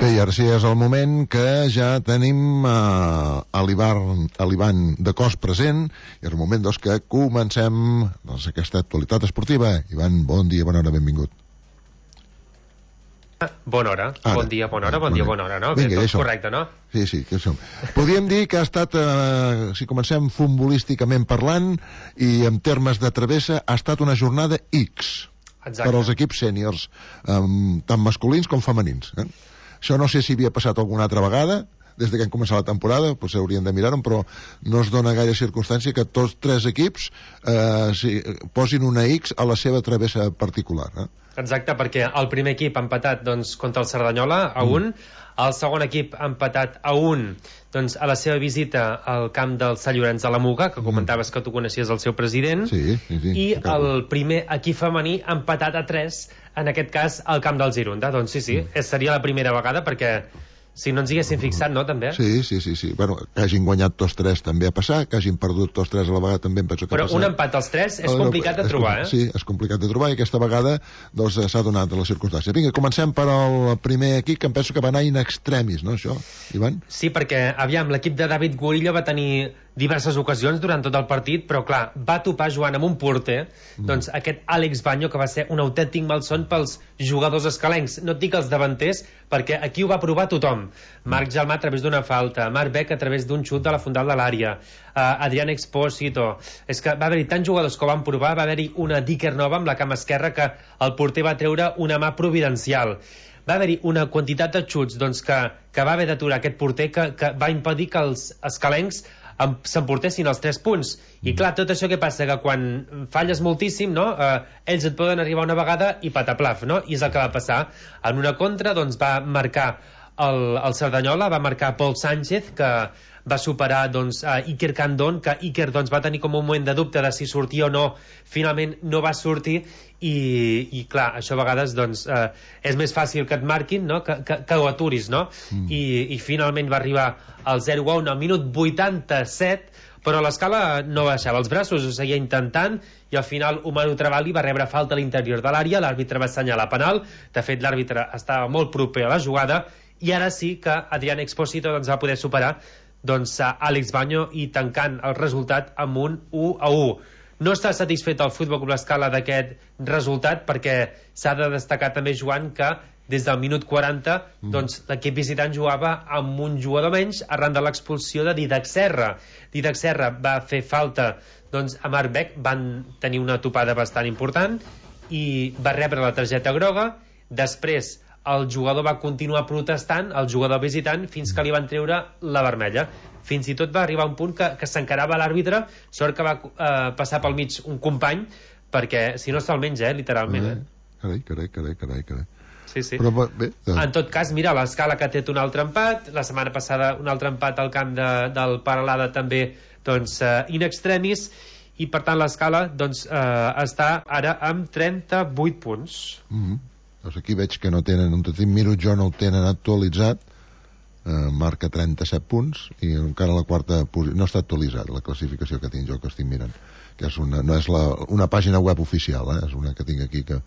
Bé, i ara sí és el moment que ja tenim l'Ivan de cos present, i és el moment que comencem aquesta actualitat esportiva. Ivan, bon dia, bona hora, benvingut. Bona hora, bon dia, bona hora, bon dia, bona hora, no? Vinga, Tot correcte, no? Sí, que som. Podríem dir que ha estat, si comencem futbolísticament parlant, i en termes de travessa, ha estat una jornada X. Exacte. Per als equips sèniors, tant masculins com femenins. Això no sé si havia passat alguna altra vegada, des que hem començat la temporada, potser hauríem de mirar-ho, però no es dona gaire circumstància que tots tres equips posin una X a la seva travessa particular. Exacte, perquè el primer equip ha empatat contra el Cerdanyola a 1, el segon equip ha empatat a 1 a la seva visita al camp del Sant Llorenç de la Muga, que comentaves que tu coneixies el seu president, i el primer equip femení ha empatat a 3, en aquest cas al camp del Girona. Doncs sí, seria la primera vegada, perquè si no ens hi haguéssim fixat, no, també? Sí. Bueno, que hagin guanyat tots tres també ha passat, que hagin perdut tots tres a la vegada també em penso que ha passat. Però un empat als tres és complicat de trobar, Sí, és complicat de trobar, i aquesta vegada s'ha donat la circumstància. Vinga, comencem per al primer equip, que em penso que va anar in extremis, no, això, Ivan? Sí, perquè, aviam, l'equip de David Gurillo va tenir diverses ocasions durant tot el partit, però clar, va topar jugant amb un porter, aquest Àlex Baño, que va ser un autèntic malson pels jugadors escalencs, no et dic els davanters, perquè aquí ho va provar tothom. Marc Gelmà a través d'una falta, Marc Beck a través d'un xut de la fondal de l'àrea, Adrián Expósito. És que va haver-hi tants jugadors que ho van provar, va haver-hi una Dicker nova amb la cama esquerra que el porter va treure una mà providencial. Va haver-hi una quantitat de xuts que va haver d'aturar aquest porter, que va impedir que els escalencs s'emportessin els 3 punts. I clar, tot això que passa, que quan falles moltíssim, no? Ells et poden arribar una vegada i pataplaf, no? I és el que va passar. En una contra va marcar el Cerdanyola, va marcar Pol Sánchez, que va superar Iker Candón, que Iker va tenir com un moment de dubte de si sortia o no, finalment no va sortir, i clar, això a vegades és més fàcil que et marquin, no? que ho aturis, no? I finalment va arribar al 0-1 al minut 87, però l'Escala no baixava els braços, ho seguia intentant, i al final Omar Travali va rebre falta a l'interior de l'àrea, l'àrbitre va assenyalar penal, de fet l'àrbitre estava molt proper a la jugada, i ara sí que Adrián Expósito va poder superar Àlex Baño i tancant el resultat amb un 1-1. No està satisfet el Futbol Club Escala d'aquest resultat, perquè s'ha de destacar també, Joan, que des del minut 40 l'equip visitant jugava amb un jugador menys arran de l'expulsió de Didac Serra. Didac Serra va fer falta a Marc Beck, van tenir una topada bastant important i va rebre la targeta groga. Després el jugador va continuar protestant, el jugador visitant, fins que li van treure la vermella. Fins i tot va arribar un punt que s'encarava l'àrbitre, sort que va passar pel mig un company, perquè si no se'l menja, literalment. Carai. Sí. Però, bé, en tot cas, mira, l'Escala, que té un altre empat, la setmana passada un altre empat al camp del Paralada també, in extremis, i per tant l'Escala està ara amb 38 punts. Doncs aquí veig que no tenen, miro jo, no el tenen actualitzat, marca 37 punts, i encara la quarta posició, no està actualitzat la classificació que tinc jo, que estic mirant, que és no és una pàgina web oficial, és una que tinc aquí, que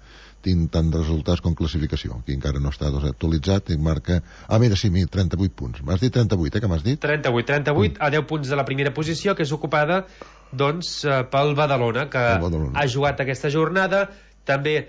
tinc tant resultats com classificació. Aquí encara no està actualitzat, i marca... mira, sí, 38 punts. M'has dit 38, que m'has dit? 38, a 10 punts de la primera posició, que és ocupada, pel Badalona, que ha jugat aquesta jornada. També,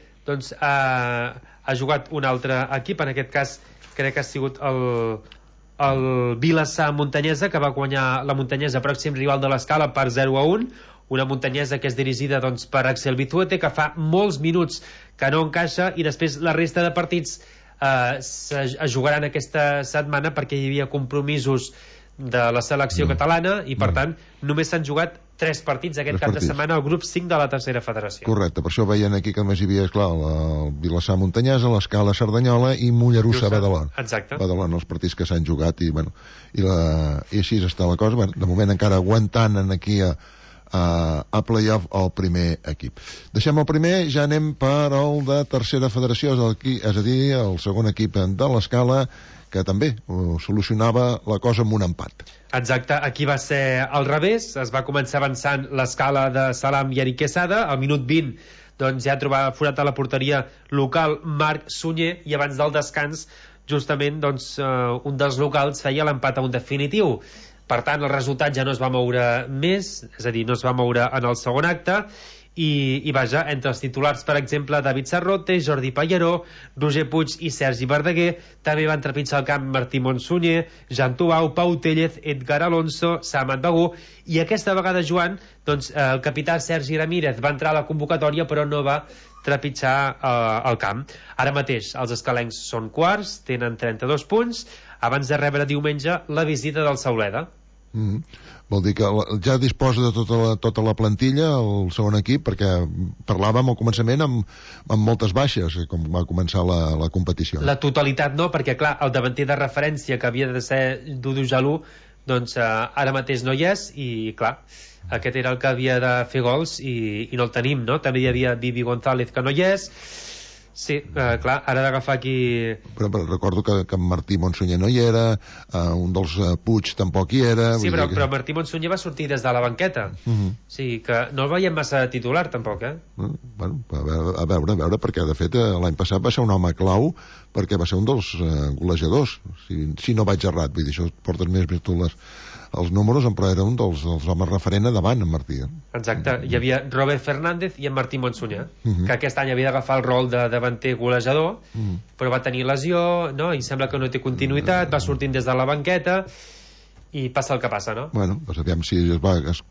ha jugat un altre equip, en aquest cas crec que ha sigut el Vilassar Muntanyesa, que va guanyar la Muntanyesa, pròxim rival de l'Escala, per 0-1, una Muntanyesa que és dirigida per Axel Bituete, que fa molts minuts que no encaixa, i després la resta de partits es jugaran aquesta setmana, perquè hi havia compromisos de la selecció catalana, i per tant només s'han jugat 3 partits aquest cap de setmana al grup 5 de la tercera federació. Correcte, per això veien aquí que només hi havia, esclar, el Vilassar Muntanyesa, l'Escala Cerdanyola i Mollerussa Badalona. Exacte. Badalona, els partits que s'han jugat, i així està la cosa. De moment encara aguantant aquí a playoff el primer equip. Deixem el primer, ja anem per el de tercera federació, és a dir, el segon equip de l'Escala, que també solucionava la cosa amb un empat. Exacte, aquí va ser al revés, es va començar avançant l'Escala de Salam i Eric Quesada, al minut 20 ja trobava forat a la porteria local Marc Sunyer, i abans del descans justament doncs, un dels locals feia l'empat a un definitiu. Per tant, el resultat ja no es va moure més, és a dir, no es va moure en el segon acte, i vaja, entre els titulars, per exemple, David Sarrote, Jordi Pallaró, Roger Puig i Sergi Verdaguer. També van trepitjar el camp Martí Monsunyer, Jan Tubau, Pau Tellez, Edgar Alonso, Samat Begú, i aquesta vegada, Joan, doncs, el capità Sergi Ramírez va entrar a la convocatòria però no va trepitjar el camp. Ara mateix els escalencs són quarts, tenen 32 punts, abans de rebre diumenge la visita del Sauleda. Vol dir que ja disposa de tota la plantilla el segon equip, perquè parlàvem al començament amb moltes baixes com va començar la competició. La totalitat no, perquè clar, el davanter de referència que havia de ser Dudu Jalú, doncs ara mateix no hi és, i clar, aquest era el que havia de fer gols i no el tenim, no? També hi havia Vivi González, que no hi és. Sí, clar, ara d'agafar aquí... Però recordo que Martí Monsunyer no hi era, un dels Puig tampoc hi era... Sí, però Martí Monsunyer va sortir des de la banqueta. Sí, que no el veiem massa titular, tampoc, Bueno, a veure, perquè de fet l'any passat va ser un home clau, perquè va ser un dels golejadors, si no vaig errat, vull dir, això portes més tu els números, però era un dels homes referent a davant, en Martí. Exacte, hi havia Robert Fernández i en Martí Monsunyer, que aquest any havia d'agafar el rol de davanter golejador, però va tenir lesió, no? I sembla que no té continuïtat, va sortint des de la banqueta i passa el que passa, no? Bueno, doncs aviam si es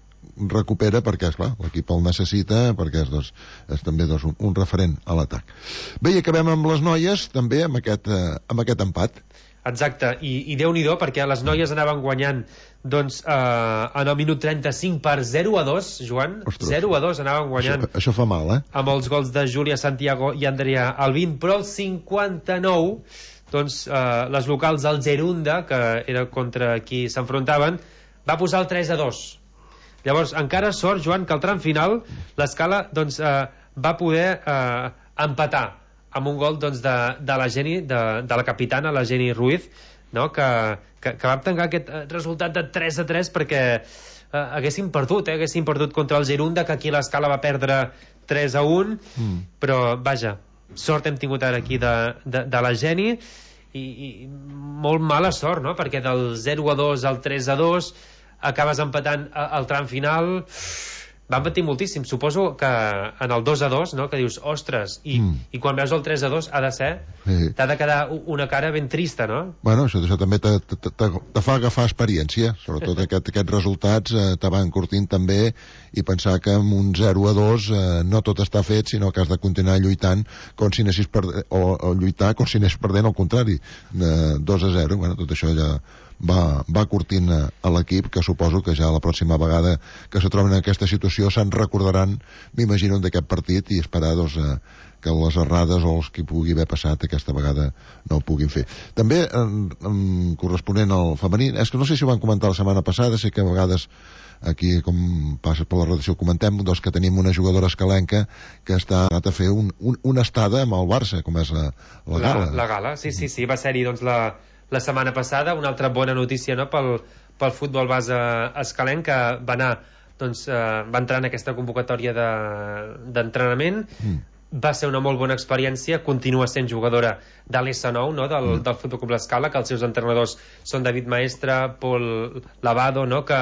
recupera, perquè esclar, l'equip el necessita, perquè és també un referent a l'atac. Bé, i acabem amb les noies també amb aquest empat. Exacte, i Déu-n'hi-do, perquè les noies anaven guanyant doncs en el minut 35 per 0-2, Joan. Ostres. 0-2 anaven guanyant. Això fa mal, amb els gols de Júlia Santiago i Andrea Albín, però el 59 doncs les locals del Gerunda, que era contra qui s'enfrontaven, va posar el 3-2. Llavors encara sort, Joan, que al tram final l'Escala doncs va poder empatar amb un gol doncs, de la Geni, de la capitana, la Geni Ruiz, no? que va tancar aquest resultat de 3-3 perquè haguessin perdut contra el Gerunda, que aquí l'Escala va perdre 3-1, però vaja, sort hem tingut ara aquí de la Geni, i molt mala sort, no? Perquè del 0-2 al 3-2 acabes empatant al tram final. Van patir moltíssim, suposo que en el 2-2, no? Que dius, ostres, i quan veus el 3-2 ha de ser, t'ha de quedar una cara ben trista, no? Bueno, això també te fa agafar experiència, sobretot aquests resultats te van curtint també, i pensar que amb un 0-2 no tot està fet, sinó que has de continuar lluitant com si anessis perdent, o lluitar com si anessis perdent, al contrari, 2-0. Bueno, tot això ja va curtint a l'equip, que suposo que ja la pròxima vegada que se troben en aquesta situació se'n recordaran, m'imagino, d'aquest partit, i esperar que les errades o els que pugui haver passat aquesta vegada no ho puguin fer. També corresponent al femení, és que no sé si ho van comentar la setmana passada, sé que a vegades aquí, com passa per la redacció, comentem doncs, que tenim una jugadora escalenca que està anat a fer una estada amb el Barça, com és la Gala. La Gala, sí, va ser-hi doncs la setmana passada, una altra bona notícia, no?, pel futbol base escalenc, que va anar, doncs, va entrar en aquesta convocatòria d'entrenament. Va ser una molt bona experiència, continua sent jugadora de l'S9, no?, del Futbol Club l'Escala, que els seus entrenadors són David Maestre, Pol Lavado, no?, que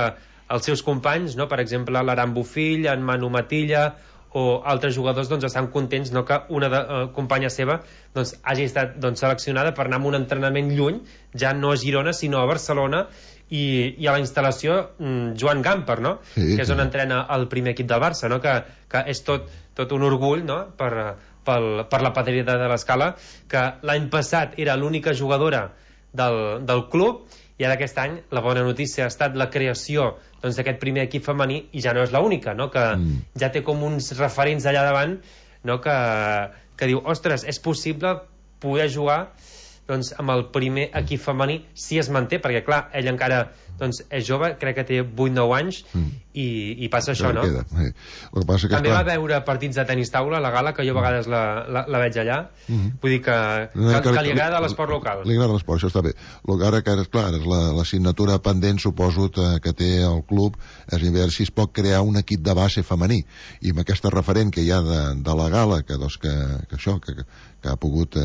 els seus companys, no?, per exemple l'Aran Bofill, en Manu Matilla o altres jugadors, doncs, estan contents, no?, que una companya seva doncs, hagi estat doncs, seleccionada per anar a un entrenament lluny, ja no a Girona sinó a Barcelona, i a la instal·lació Joan Gamper, no?, que és on entrena el primer equip del Barça, no?, que és tot un orgull, no?, per la patriota de l'Escala, que l'any passat era l'única jugadora del club, i ara aquest any la bona notícia ha estat la creació doncs, d'aquest primer equip femení, i ja no és l'única, no?, que ja té com uns referents allà davant, no?, que diu, ostres, és possible poder jugar doncs, amb el primer equip femení si es manté, perquè clar, ell encara doncs, és jove, crec que té 8-9 anys, i passa això, no? També va veure partits de tenis taula a la Gala, que jo a vegades la veig allà. Vull dir que li agrada l'esport local. Li agrada l'esport, això està bé. Ara que, clar, és l'assignatura pendent, suposo, que té el club, és veure si es pot crear un equip de base femení, i amb aquesta referent que hi ha de la Gala, que que ha pogut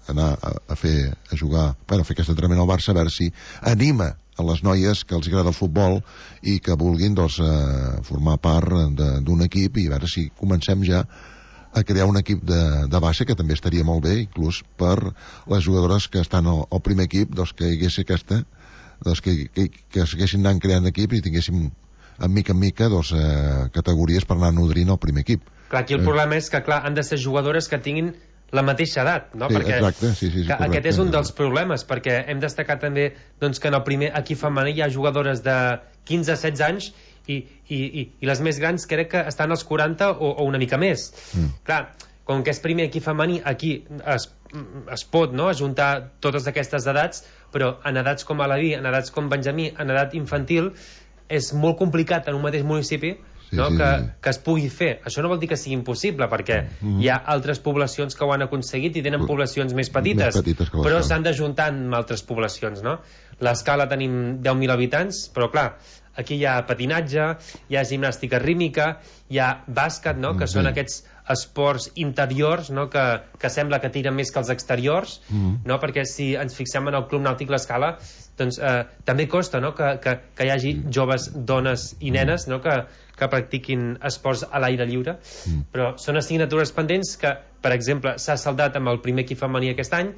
anar a fer aquest entrenament al Barça, a veure si anima a les noies que els agrada el futbol i que vulguin formar part d'un equip, i a veure si comencem ja a crear un equip de base, que també estaria molt bé, inclús per les jugadores que estan al primer equip, que hi hagués que segueixin anant creant equip i tinguéssim en mica categories per anar nodrint el primer equip. Clar, aquí el problema és que, clar, han de ser jugadores que tinguin la mateixa edat, no? Sí, perquè exacte, sí, aquest és un dels problemes, perquè hem destacat també que en el primer equip femení hi ha jugadores de 15-16 anys i les més grans crec que estan als 40 o una mica més. Clar, com que és primer equip femení, aquí es pot, no?, ajuntar totes aquestes edats, però en edats com Alaví, en edats com Benjamí, en edat infantil, és molt complicat en un mateix municipi que es pugui fer. Això no vol dir que sigui impossible, perquè hi ha altres poblacions que ho han aconseguit i tenen poblacions més petites però s'han d'ajuntar amb altres poblacions, no? L'Escala tenim 10.000 habitants, però clar, aquí hi ha patinatge, hi ha gimnàstica rítmica, hi ha bàsquet, no?, que són aquests esports interiors, no?, que sembla que tiren més que els exteriors, no?, perquè si ens fixem en el Club Nàutic L'Escala, doncs també costa, no?, que hi hagi joves, dones i nenes, no?, que practiquin esports a l'aire lliure, però són assignatures pendents que, per exemple, s'ha saldat amb el primer equip femení aquest any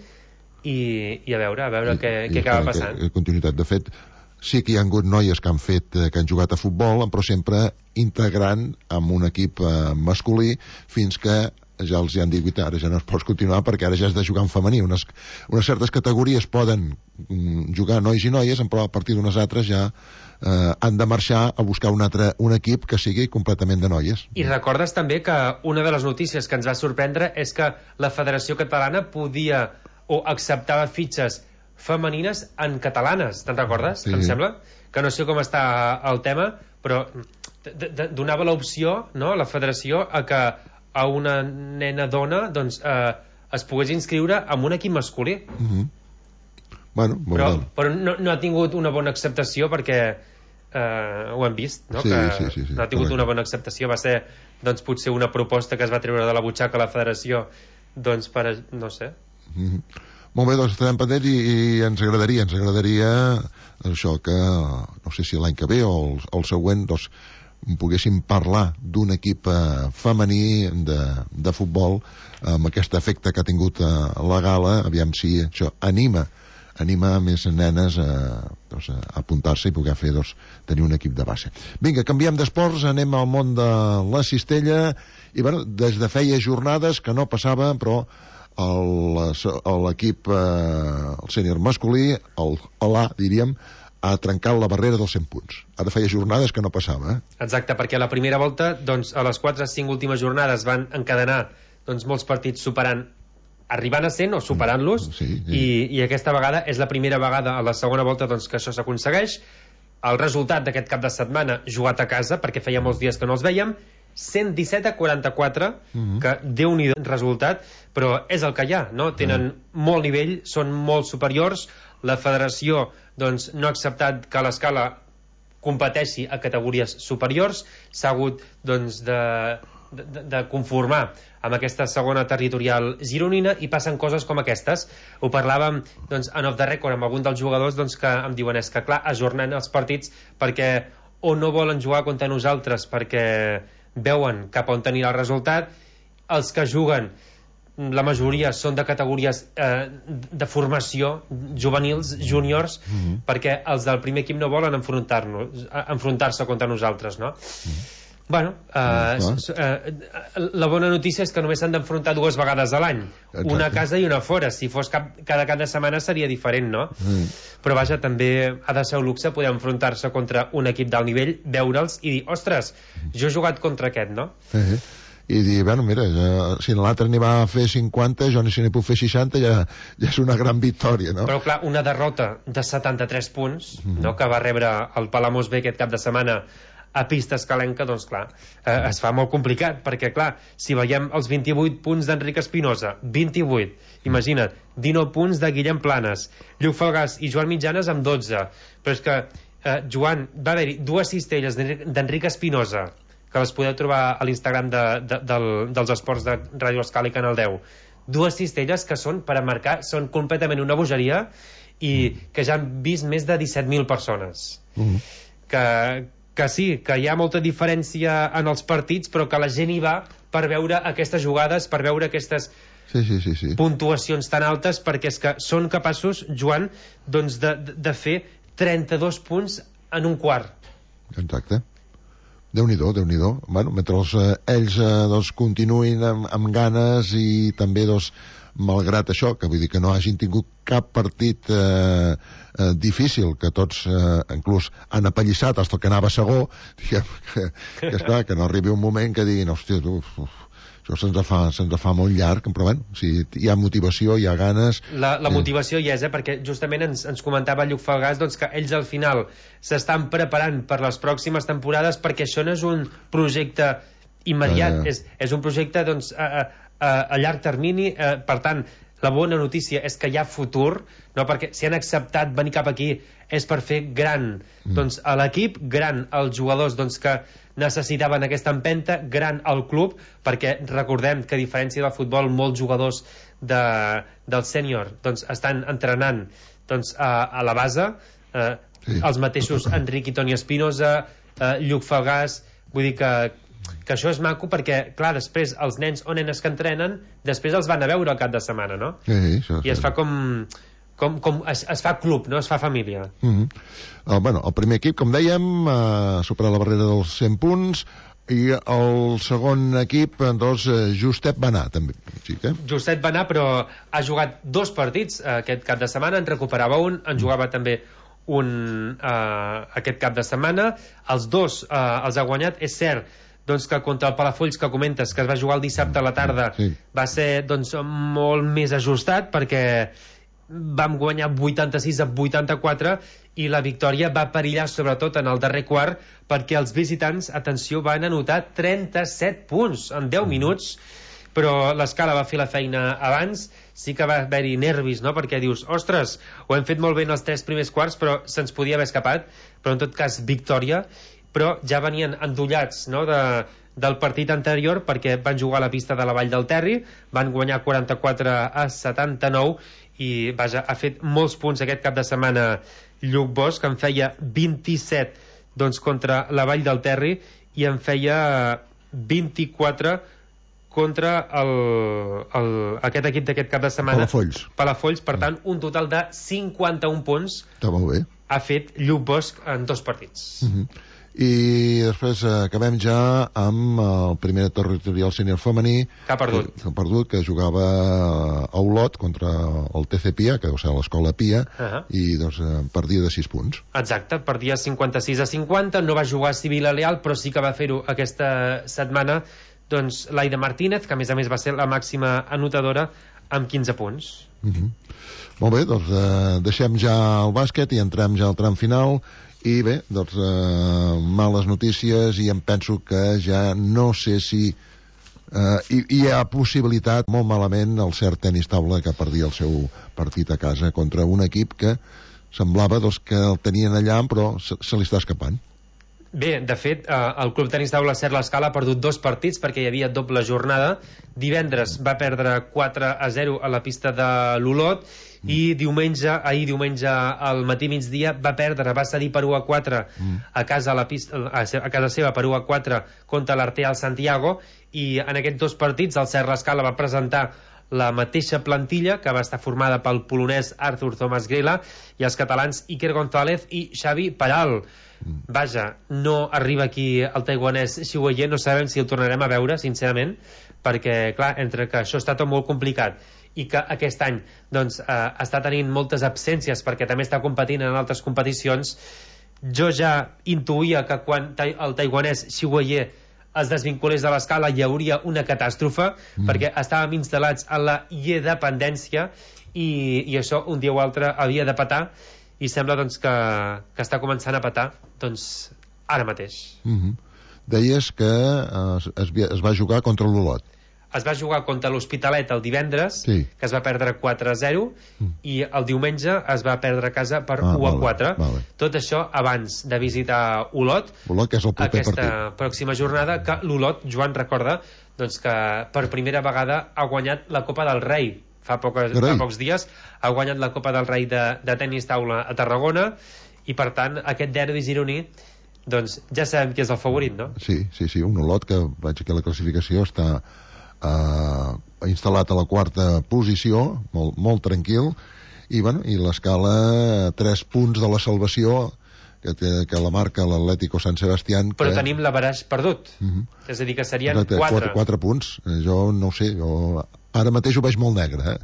i a veure què acaba passant. Continuïtat. De fet, sí que hi ha hagut noies que han jugat a futbol, però sempre integrant amb un equip masculí, fins que ja els han dit, ara ja no es pot continuar perquè ara ja has de jugar en femení. Unes certes categories poden jugar nois i noies, però a partir d'unes altres ja han de marxar a buscar un equip que sigui completament de noies. I recordes també que una de les notícies que ens va sorprendre és que la Federació Catalana podia o acceptava fitxes femenines en catalanes, te'n recordes? Sí. Em sembla que no sé com està el tema, però donava l'opció, no?, la Federació a que a una nena dona doncs es pogués inscriure en un equip masculí. Bueno, però no ha tingut una bona acceptació, perquè ho hem vist, no? Sí, no ha tingut una bona acceptació. Va ser doncs potser una proposta que es va treure de la butxaca a la Federació, doncs per, no sé. Molt bé, doncs estarem pendents i ens agradaria això, que no sé si l'any que ve o el següent doncs poguéssim parlar d'un equip femení de futbol amb aquest efecte que ha tingut la gala, aviam si això anima més nenes a apuntar-se i poder fer, tenir un equip de base. Vinga, canviem d'esports, anem al món de la cistella, i bueno, des de feia jornades que no passava, però l'equip el sènior masculí, l'A, diríem, ha trencat la barrera dels 100 punts. Ara feia jornades que no passava. Exacte, perquè a la primera volta, doncs, a les 4-5 últimes jornades van encadenar molts partits arribant a 100 o superant-los, i aquesta vegada és la primera vegada a la segona volta que això s'aconsegueix. El resultat d'aquest cap de setmana, jugat a casa, perquè feia molts dies que no els vèiem, 117-44, que Déu-n'hi-do resultat, però és el que hi ha, no? Tenen molt nivell, són molt superiors. La federació doncs no ha acceptat que l'Escala competeixi a categories superiors, s'ha hagut doncs de conformar amb aquesta segona territorial gironina, i passen coses com aquestes. Ho parlàvem doncs en off the record amb algun dels jugadors que em diuen és que clar, ajornen els partits perquè o no volen jugar contra nosaltres perquè veuen cap on tenir el resultat. Els que juguen, la majoria són de categories de formació, juvenils, júniors, perquè els del primer equip no volen enfrontar-se contra nosaltres, no? Bueno, la bona notícia és que només s'han d'enfrontar 2 vegades a l'any, una a casa i una a fora. Si fos cada cap de setmana seria diferent, no? Però vaja, també ha de ser un luxe poder enfrontar-se contra un equip d'alt nivell, veure'ls i dir, ostres, jo he jugat contra aquest, no? I dir, bueno, mira, si l'altre n'hi va fer 50, jo si n'hi puc fer 60, ja és una gran victòria, no? Però clar, una derrota de 73 punts, no?, que va rebre el Palamós B aquest cap de setmana a pista escalenca, doncs clar, es fa molt complicat, perquè clar, si veiem els 28 punts d'Enric Espinosa, 28, imagina't, 19 punts de Guillem Planes, Lluc Falgàs i Joan Mitjanes amb 12, però és que Joan, va haver-hi 2 cistelles d'Enric Espinosa, que les podeu trobar a l'Instagram dels esports de Ràdio Escala i Canal 10, dues cistelles que són per a marcar, són completament una bogeria, i que ja han vist més de 17.000 persones. Que sí, que hi ha molta diferència en els partits, però que la gent hi va per veure aquestes jugades, per veure aquestes puntuacions tan altes, perquè és que són capaços, Joan, doncs de fer 32 punts en un quart. Exacte. Déu-n'hi-do, Déu-n'hi-do. Bueno, mentre ells continuïn amb ganes i també malgrat això, que vull dir que no hagin tingut cap partit difícil, que tots inclús han apallissat fins que anava segó, diguem que esclar, que no arribi un moment que diguin, hòstia, això se'ns fa molt llarg, però bueno, si hi ha motivació, hi ha ganes... La motivació hi és, perquè justament ens comentava Lluc Falgàs doncs, que ells al final s'estan preparant per les pròximes temporades, perquè això no és un projecte immediat, és un projecte doncs, a llarg termini, per tant, la bona notícia és que hi ha futur, no? Perquè si han acceptat venir cap aquí és per fer gran doncs, a l'equip, gran als jugadors doncs, que necessitaven aquesta empenta, gran al club, perquè recordem que a diferència del futbol molts jugadors del sènior doncs, estan entrenant doncs, a la base, els mateixos Enric i Toni Espinosa, Lluc Falgàs, vull dir que això és maco perquè, clar, després els nens o nenes que entrenen, després els van a veure al cap de setmana, no? I es fa es fa club, no? Es fa família. Bueno, el primer equip, com dèiem, ha superat la barrera dels 100 punts, i el segon equip, doncs, justet va anar, també. Sí, justet va anar, però ha jugat 2 partits aquest cap de setmana, en recuperava un, en jugava també un aquest cap de setmana. Els 2 els ha guanyat, és cert, doncs que contra el Palafolls que comentes, que es va jugar el dissabte a la tarda, va ser doncs, molt més ajustat, perquè vam guanyar 86-84 i la victòria va perillar sobretot en el darrer quart, perquè els visitants, atenció, van anotar 37 punts en 10 minuts, però l'Escala va fer la feina abans. Sí que va haver-hi nervis, no? Perquè dius, ostres, ho hem fet molt bé en els 3 primers quarts, però se'ns podia haver escapat, però en tot cas victòria, però ja venien endollats, no?, del partit anterior, perquè van jugar a la pista de la Vall del Terri, van guanyar 44-79, i vaja, ha fet molts punts aquest cap de setmana Lluc Bosch, que en feia 27 doncs, contra la Vall del Terri, i en feia 24 contra aquest equip d'aquest cap de setmana, Palafolls, per tant, un total de 51 punts ha fet Lluc Bosch en 2 partits. I després acabem ja amb el primer territorial sènior femení que ha perdut, que jugava a Olot contra el TC Pia, que deu ser l'escola Pia, i doncs perdia de 6 punts. Exacte, perdia 56-50, no va jugar Sibila Leal, però sí que va fer-ho aquesta setmana doncs l'Aida Martínez, que a més va ser la màxima anotadora amb 15 punts. Molt bé, doncs deixem ja el bàsquet i entrem ja al tram final. I bé, doncs males notícies, i em penso que ja no sé si hi ha possibilitat, molt malament, el cert tenis taula, que perdia el seu partit a casa contra un equip que semblava doncs, que el tenien allà, però se li està escapant. Bé, de fet, el Club Tenis Taula Cert l'Escala ha perdut 2 partits perquè hi havia doble jornada. Divendres va perdre 4-0 a la pista de l'Olot, i ahir diumenge al matí migdia va cedir per 1-4 a casa seva per 1-4 contra l'Artea al Santiago, i en aquests 2 partits el Cert l'Escala va presentar la mateixa plantilla, que va estar formada pel polonès Arthur Thomas Grela i els catalans Iker González i Xavi Peral. Vaja, no arriba aquí el taiwanès Xi Weiyé, no sabem si el tornarem a veure, sincerament, perquè, clar, entre que això està tot molt complicat i que aquest any doncs, està tenint moltes absències perquè també està competint en altres competicions, jo ja intuïa que quan el taiwanès Xi Weiyé es desvinculés de l'Escala hi hauria una catàstrofe, perquè estàvem instal·lats en la dependència, i això un dia o altre havia de petar, i sembla doncs, que està començant a petar doncs, ara mateix. Deies que es va jugar contra l'Olot. es va jugar contra l'Hospitalet el divendres, sí, que es va perdre 4-0, i el diumenge es va perdre a casa per 1-4. Vale. Tot això abans de visitar Olot, que és el proper aquesta pròxima jornada, que l'Olot, Joan, recorda doncs, que per primera vegada ha guanyat la Copa del Rei. Fa pocs dies ha guanyat la Copa del Rei de tenis taula a Tarragona, i per tant aquest derbi gironí, doncs ja sabem qui és el favorit, no? Sí, un Olot que vaig aquí a la classificació està instal·lat a la quarta posició, molt tranquil, i l'escala 3 punts de la salvació que la marca l'Atlético San Sebastián, però tenim l'averaix perdut, és a dir, que serien 4 punts. Jo no ho sé, ara mateix ho veig molt negre,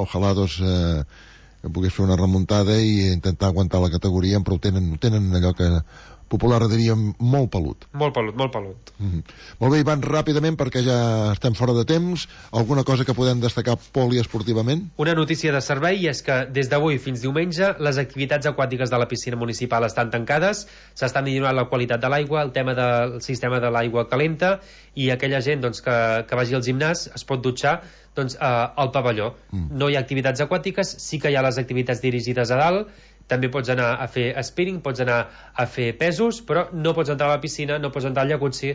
ojalà que pogués fer una remuntada i intentar aguantar la categoria, però tenen allò que popular diria molt pelut. Molt pelut. Molt bé, Ivan, ràpidament, perquè ja estem fora de temps, alguna cosa que podem destacar poliesportivament? Una notícia de servei, i és que des d'avui fins diumenge les activitats aquàtiques de la piscina municipal estan tancades, s'està millorant la qualitat de l'aigua, el tema del sistema de l'aigua calenta, i aquella gent que vagi al gimnàs es pot dutxar al pavelló. No hi ha activitats aquàtiques, sí que hi ha les activitats dirigides a dalt, també pots anar a fer spinning, pots anar a fer pesos, però no pots entrar a la piscina, no pots entrar al jacuzzi,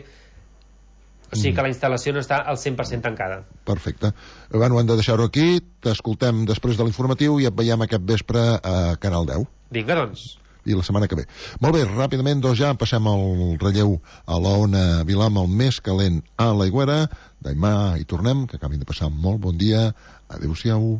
o sigui que la instal·lació no està al 100% tancada. Perfecte. Bueno, hem de deixar-ho aquí, t'escoltem després de l'informatiu i et veiem aquest vespre a Canal 10. Vinga, doncs. I la setmana que ve. Molt bé, ràpidament, ja passem al relleu a l'Ona Vilam, el més calent a l'Aigüera. Demà hi tornem, que acabin de passar molt bon dia. Adéu-siau.